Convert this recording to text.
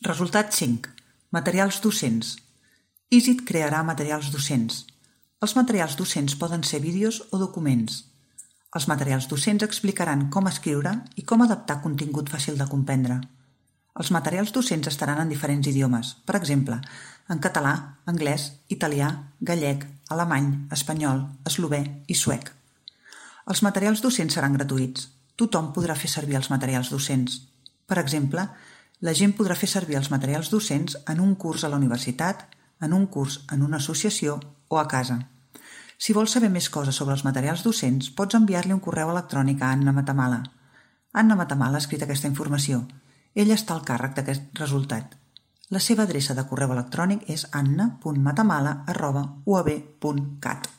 Resultat 5. Materials docents. EASIT crearà materials docents. Els materials docents poden ser vídeos o documents. Els materials docents explicaran com escriure i com adaptar contingut fàcil de comprendre. Els materials docents estaran en diferents idiomes, per exemple, en català, anglès, italià, gallec, alemany, espanyol, eslové i suec. Els materials docents seran gratuïts. Tothom podrà fer servir els materials docents. Per exemple, la gent podrà fer servir els materials docents en un curs a la universitat, en un curs en una associació o a casa. Si vols saber més coses sobre els materials docents, pots enviar-li un correu electrònic a Anna Matamala. Anna Matamala ha escrit aquesta informació. Ella està al càrrec d'aquest resultat. La seva adreça de correu electrònic és anna.matamala@uab.cat.